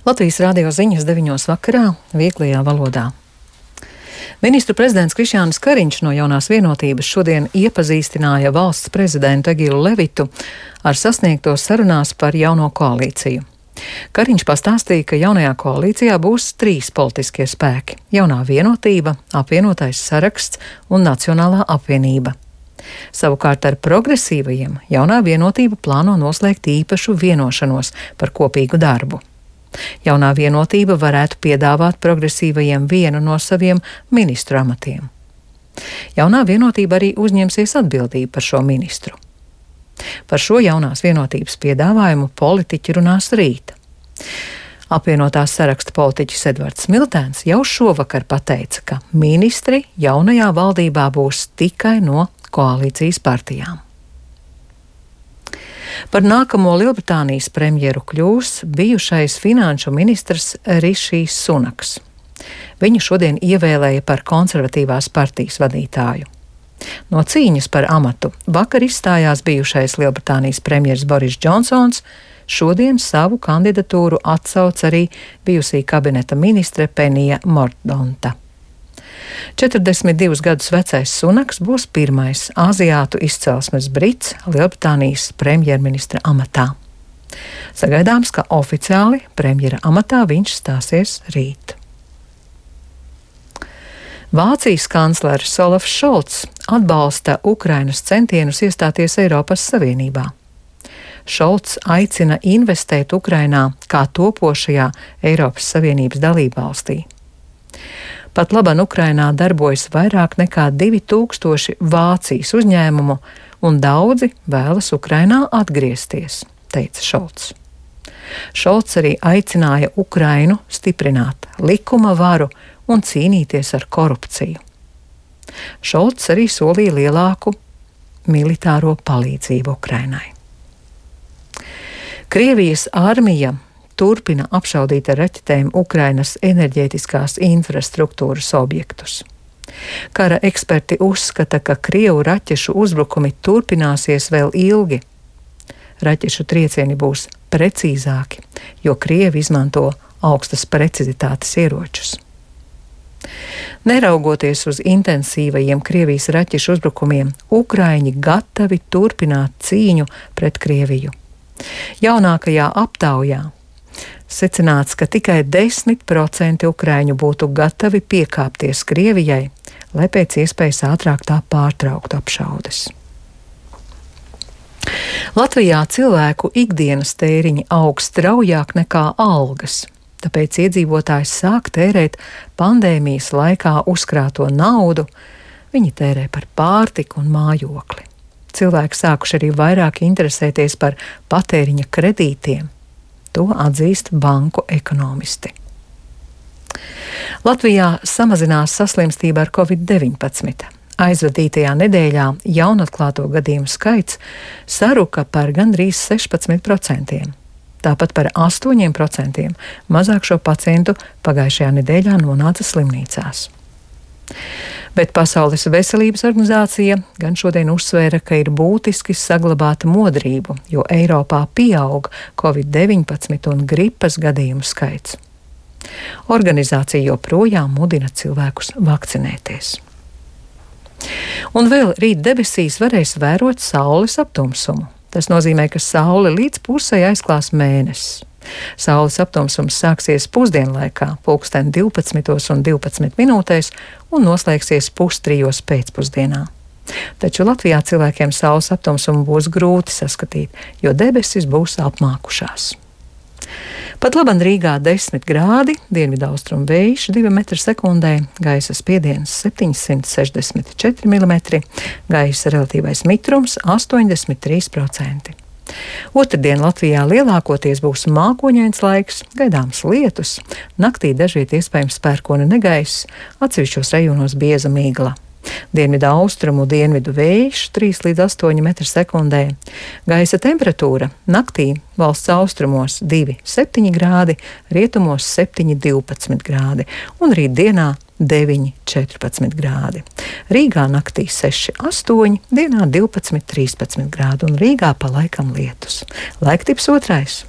Latvijas radio ziņas 9 vakarā vieglajā valodā. Ministru prezidents Krišjānis Kariņš no Jaunās vienotības šodien iepazīstināja valsts prezidentu Egilu Levitu ar sasniegto sarunās par jauno koalīciju. Kariņš pastāstīja, ka jaunajā koalīcijā būs 3 politiskie spēki - Jaunā vienotība, Apvienotais saraksts un Nacionālā apvienība. Savukārt ar progresīvajiem Jaunā vienotība plāno noslēgt īpašu vienošanos par kopīgu darbu. Jaunā vienotība varētu piedāvāt progresīvajiem vienu no saviem ministru amatiem. Jaunā vienotība arī uzņemsies atbildību par šo ministru. Par šo Jaunās vienotības piedāvājumu politiķi runās rīt. Apvienotās saraksta politiķis Edvards Smiltēns jau šovakar pateica, ka ministri jaunajā valdībā būs tikai no koalīcijas partijām. Par nākamo Lielbritānijas premjeru kļūs bijušais finanšu ministrs Rišijs Sunaks. Viņu šodien ievēlēja par konservatīvās partijas vadītāju. No cīņas par amatu vakar izstājās bijušais Lielbritānijas premjers Boris Džonsons, šodien savu kandidatūru atsauc arī bijusī kabineta ministre Penija Mordonta. 42 gadus vecais Sunaks būs pirmais aziātu izcelsmes brits Lielbritānijas premjerministra amatā. Sagaidāms, ka oficiāli premjera amatā viņš stāsies rīt. Vācijas kanclers Olafs Šolts atbalsta Ukrainas centienus iestāties Eiropas Savienībā. Šolts aicina investēt Ukrainā kā topošajā Eiropas Savienības dalībvalstī. Pat laban Ukrainā darbojas vairāk nekā 2000 Vācijas uzņēmumu, un daudzi vēlas Ukrainā atgriezties, teica Šolts. Šolts arī aicināja Ukrainu stiprināt likuma varu un cīnīties ar korupciju. Šolts arī solīja lielāku militāro palīdzību Ukrainai. Krievijas armija turpina apšaudīt ar raķetēm Ukrainas enerģētiskās infrastruktūras objektus. Kara eksperti uzskata, ka Krievu raķešu uzbrukumi turpināsies vēl ilgi. Raķešu triecieni būs precīzāki, jo Krievi izmanto augstas precizitātes ieročus. Neraugoties uz intensīvajiem Krievijas raķešu uzbrukumiem, Ukraiņi gatavi turpināt cīņu pret Krieviju. Jaunākajā aptaujā secināts, ka tikai 10% ukraiņu būtu gatavi piekāpties Krievijai, lai pēc iespējas ātrāk tā pārtrauktu apšaudes. Latvijā cilvēku ikdienas tēriņi aug straujāk nekā algas, tāpēc iedzīvotājs sāk tērēt pandēmijas laikā uzkrāto naudu, viņi tērē par pārtiku un mājokli. Cilvēki sākuši arī vairāk interesēties par patēriņa kredītiem. To atzīst banku ekonomisti. Latvijā samazinās saslimstība ar Covid-19. Aizvadītajā nedēļā jaunatklāto gadījumu skaits saruka par gandrīz 16%. Tāpat par 8% mazāk šo pacientu pagājušajā nedēļā nonāca slimnīcās. Bet Pasaules veselības organizācija gan šodien uzsvēra, ka ir būtiski saglabāt modrību, jo Eiropā pieaug Covid-19 un gripas gadījumu skaits. Organizācija joprojām mudina cilvēkus vakcinēties. Un vēl rīt debesīs varēs vērot saules aptumsumu. Tas nozīmē, ka saule līdz pusei aizklās mēnesis. Saules aptumsums sāksies pusdienlaikā, 12:12 un noslēgsies 2:03 pēcpusdienā. Taču Latvijā cilvēkiem saules aptumsumu būs grūti saskatīt, jo debesis būs apmākušās. Pat laban Rīgā 10 grādi, dienvidaustrumu vējš 2 m/sekundē, gaisa spiediens 764 mm, gaisa relatīvais mitrums 83%. Otrdien Latvijā lielākoties būs mākoņains laiks, gaidāms lietus, naktī dažviet iespējams pērkona negaiss, atsevišķos rajonos bieza migla. Dienvidu austrumu, dienvidu vējš 3 līdz 8 m/sekundē. Gaisa temperatūra naktī valsts austrumos 2,7 grādi, rietumos 7,12 grādi un rīt dienā 9,14 grādi. Rīgā naktī 6,8, dienā 12,13 grādi un Rīgā pa laikam lietus. Laiktips 2.